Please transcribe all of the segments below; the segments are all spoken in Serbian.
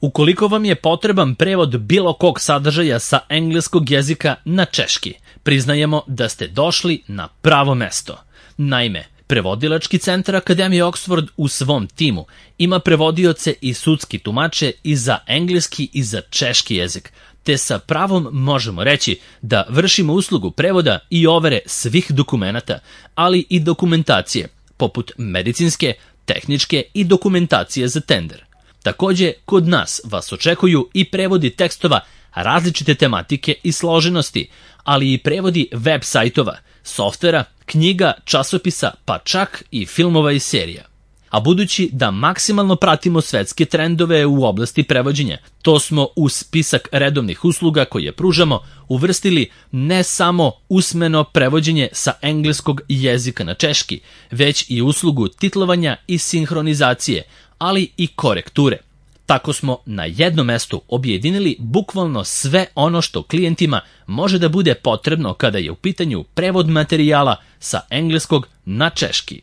Ukoliko vam je potreban prevod bilo kog sadržaja sa engleskog jezika na češki, priznajemo da ste došli na pravo mesto. Naime, Prevodilački centar Akademije Oxford u svom timu ima prevodioce i sudski tumače i za engleski i za češki jezik, te sa pravom možemo reći da vršimo uslugu prevoda i overe svih dokumenata, ali i dokumentacije, poput medicinske, tehničke i dokumentacije za tender. Takođe, kod nas vas očekuju i prevodi tekstova različite tematike i složenosti, ali i prevodi web sajtova, softvera, knjiga, časopisa, pa čak i filmova i serija. A budući da maksimalno pratimo svetske trendove u oblasti prevođenja, to smo u spisak redovnih usluga koje pružamo uvrstili ne samo usmeno prevođenje sa engleskog jezika na češki, već i uslugu titlovanja i sinhronizacije, ali i korekture. Tako smo na jednom mestu objedinili bukvalno sve ono što klijentima može da bude potrebno kada je u pitanju prevod materijala sa engleskog na češki.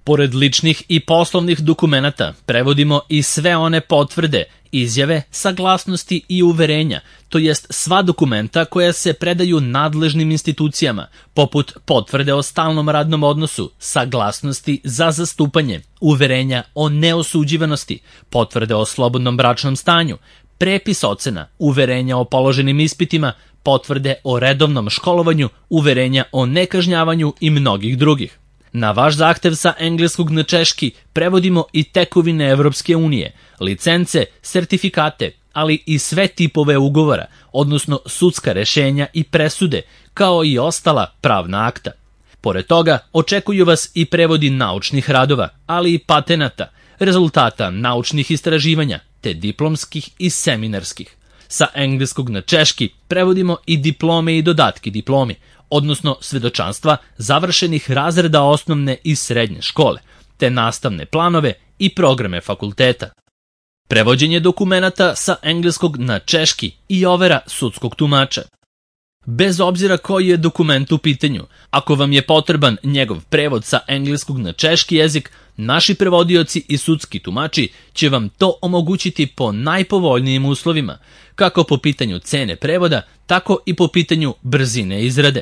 Pored ličnih i poslovnih dokumenata, prevodimo i sve one potvrde, izjave, saglasnosti i uverenja, to jest sva dokumenta koja se predaju nadležnim institucijama, poput potvrde o stalnom radnom odnosu, saglasnosti za zastupanje, uverenja o neosuđivanosti, potvrde o slobodnom bračnom stanju, prepis ocena, uverenja o položenim ispitima, potvrde o redovnom školovanju, uverenja o nekažnjavanju i mnogih drugih. Na vaš zahtev sa engleskog na češki prevodimo i tekovine Evropske unije, licence, sertifikate, ali i sve tipove ugovora, odnosno sudska rešenja i presude, kao i ostala pravna akta. Pored toga, očekuju vas i prevodi naučnih radova, ali i patenata, rezultata naučnih istraživanja, te diplomskih i seminarskih. Sa engleskog na češki prevodimo i diplome i dodatki diplomi, odnosno svedočanstva završenih razreda osnovne i srednje škole, te nastavne planove i programe fakulteta. Prevođenje dokumenata sa engleskog na češki i overa sudskog tumača. Bez obzira koji je dokument u pitanju, ako vam je potreban njegov prevod sa engleskog na češki jezik, naši prevodioci i sudski tumači će vam to omogućiti po najpovoljnijim uslovima, kako po pitanju cene prevoda, tako i po pitanju brzine izrade.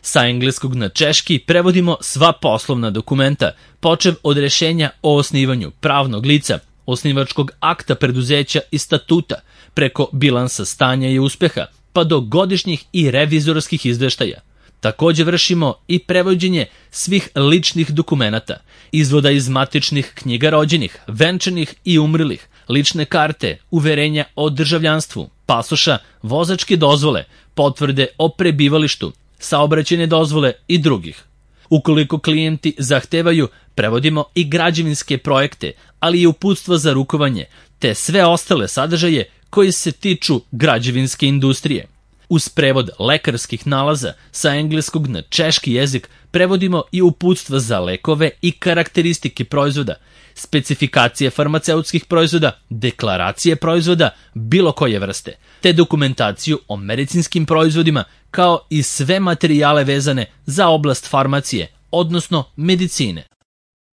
Sa engleskog na češki prevodimo sva poslovna dokumenta, počev od rešenja o osnivanju pravnog lica, osnivačkog akta preduzeća i statuta, preko bilansa stanja i uspeha, pa do godišnjih i revizorskih izveštaja. Takođe vršimo i prevođenje svih ličnih dokumenata, izvoda iz matičnih knjiga rođenih, venčanih i umrlih, lične karte, uverenja o državljanstvu, pasoša, vozačke dozvole, potvrde o prebivalištu, saobraćajne dozvole i drugih. Ukoliko klijenti zahtevaju, prevodimo i građevinske projekte, ali i uputstva za rukovanje, te sve ostale sadržaje koji se tiču građevinske industrije. Uz prevod lekarskih nalaza sa engleskog na češki jezik prevodimo i uputstva za lekove i karakteristike proizvoda, specifikacije farmaceutskih proizvoda, deklaracije proizvoda bilo koje vrste, te dokumentaciju o medicinskim proizvodima, kao i sve materijale vezane za oblast farmacije, odnosno medicine.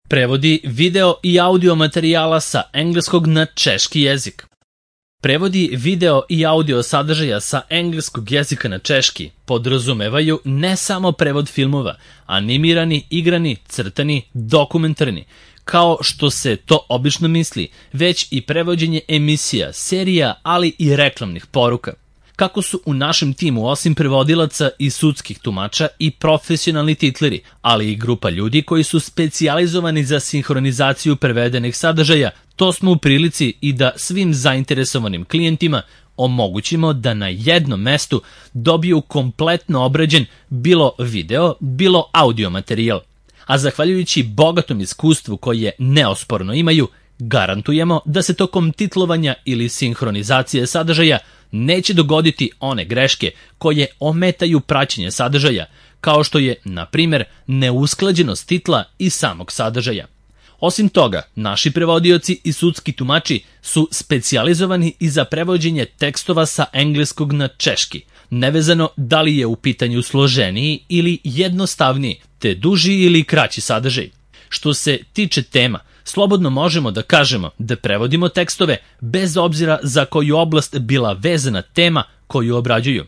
Prevodi video i audio materijala sa engleskog na češki jezik. Prevodi video i audio sadržaja sa engleskog jezika na češki podrazumevaju ne samo prevod filmova, animirani, igrani, crtani, dokumentarni, kao što se to obično misli, već i prevođenje emisija, serija, ali i reklamnih poruka. Kako su u našem timu osim prevodilaca i sudskih tumača i profesionalni titleri, ali i grupa ljudi koji su specijalizovani za sinhronizaciju prevedenih sadržaja, to smo u prilici i da svim zainteresovanim klijentima omogućimo da na jednom mestu dobiju kompletno obrađen bilo video, bilo audio materijal. A zahvaljujući bogatom iskustvu koje neosporno imaju, garantujemo da se tokom titlovanja ili sinhronizacije sadržaja neće dogoditi one greške koje ometaju praćenje sadržaja, kao što je, na primjer, neusklađenost titla i samog sadržaja. Osim toga, naši prevodioci i sudski tumači su specijalizovani i za prevođenje tekstova sa engleskog na češki, nevezano da li je u pitanju složeniji ili jednostavniji, te duži ili kraći sadržaj. Što se tiče tema, Slobodno možemo da kažemo da prevodimo tekstove bez obzira za koju oblast bila vezana tema koju obrađuju.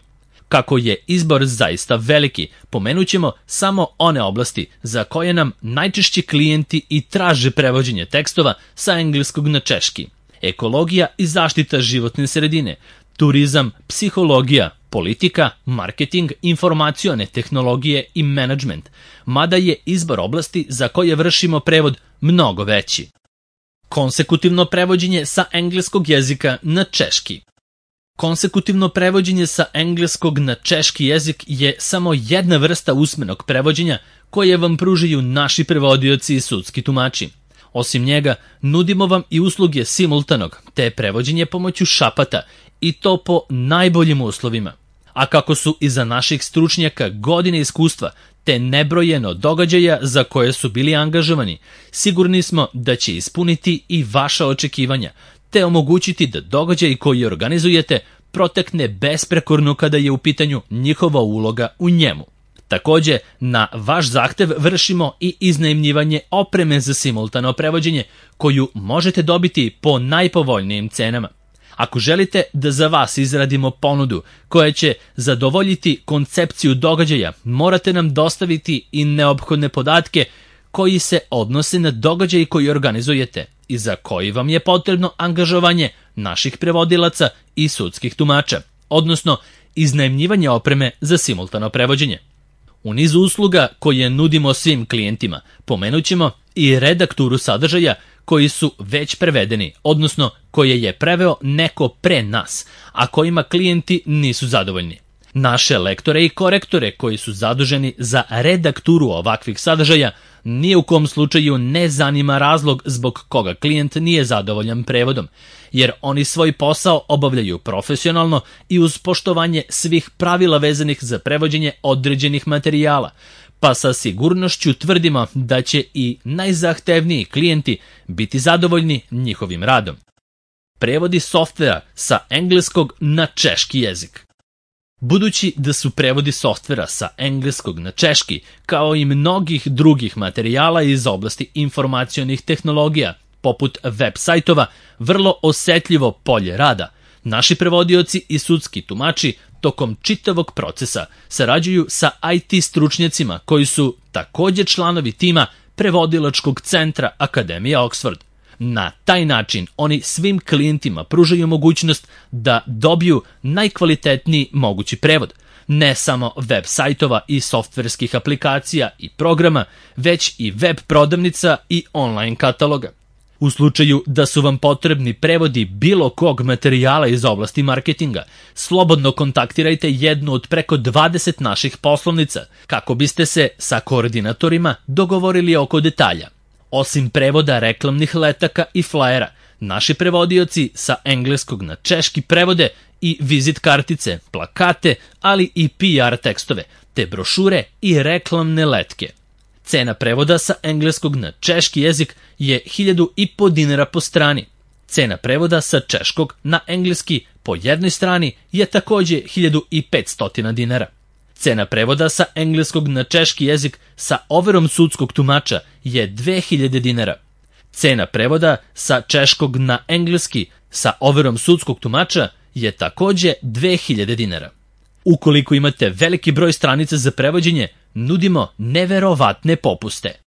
Kako je izbor zaista veliki, pomenućemo samo one oblasti za koje nam najčešći klijenti i traže prevođenje tekstova sa engleskog na češki. Ekologija i zaštita životne sredine, turizam, psihologija, politika, marketing, informacione tehnologije i menadžment, mada je izbor oblasti za koje vršimo prevod mnogo veći. Konsekutivno prevođenje sa engleskog jezika na češki. Konsekutivno prevođenje sa engleskog na češki jezik je samo jedna vrsta usmenog prevođenja koje vam pružaju naši prevodioci i sudski tumači. Osim njega, nudimo vam i usluge simultanog, te prevođenje pomoću šapata, i to po najboljim uslovima. A kako su iza naših stručnjaka godine iskustva, te nebrojeno događaja za koje su bili angažovani, sigurni smo da će ispuniti i vaša očekivanja, te omogućiti da događaj koji organizujete protekne besprekorno kada je u pitanju njihova uloga u njemu. Takođe, na vaš zahtev vršimo i iznajmljivanje opreme za simultano prevođenje, koju možete dobiti po najpovoljnijim cenama. Ako želite da za vas izradimo ponudu koja će zadovoljiti koncepciju događaja, morate nam dostaviti i neophodne podatke koji se odnose na događaj koji organizujete i za koji vam je potrebno angažovanje naših prevodilaca i sudskih tumača, odnosno iznajmljivanje opreme za simultano prevođenje. U nizu usluga koje nudimo svim klijentima pomenućemo i redakturu sadržaja koji su već prevedeni, odnosno koje je preveo neko pre nas, a kojima klijenti nisu zadovoljni. Naše lektore i korektore koji su zaduženi za redakturu ovakvih sadržaja ni u kom slučaju ne zanima razlog zbog koga klijent nije zadovoljan prevodom, jer oni svoj posao obavljaju profesionalno i uz poštovanje svih pravila vezanih za prevođenje određenih materijala, pa sa sigurnošću tvrdimo da će i najzahtevniji klijenti biti zadovoljni njihovim radom. Prevodi softvera sa engleskog na češki jezik. Budući da su prevodi softvera sa engleskog na češki, kao i mnogih drugih materijala iz oblasti informacionih tehnologija, poput web sajtova, vrlo osetljivo polje rada, naši prevodioci i sudski tumači tokom čitavog procesa sarađuju sa IT stručnjacima koji su takođe članovi tima Prevodilačkog centra Akademije Oxford. Na taj način oni svim klijentima pružaju mogućnost da dobiju najkvalitetniji mogući prevod, ne samo web sajtova i softverskih aplikacija i programa, već i web prodavnica i online kataloga. U slučaju da su vam potrebni prevodi bilo kog materijala iz oblasti marketinga, slobodno kontaktirajte jednu od preko 20 naših poslovnica kako biste se sa koordinatorima dogovorili oko detalja. Osim prevoda reklamnih letaka i flajera, naši prevodioci sa engleskog na češki prevode i vizit kartice, plakate, ali i PR tekstove, te brošure i reklamne letke. Cena prevoda sa engleskog na češki jezik je 1.500 dinara po strani. Cena prevoda sa češkog na engleski po jednoj strani je takođe 1.500 dinara. Cena prevoda sa engleskog na češki jezik sa overom sudskog tumača je 2000 dinara. Cena prevoda sa češkog na engleski sa overom sudskog tumača je takođe 2000 dinara. Ukoliko imate veliki broj stranica za prevođenje, nudimo neverovatne popuste.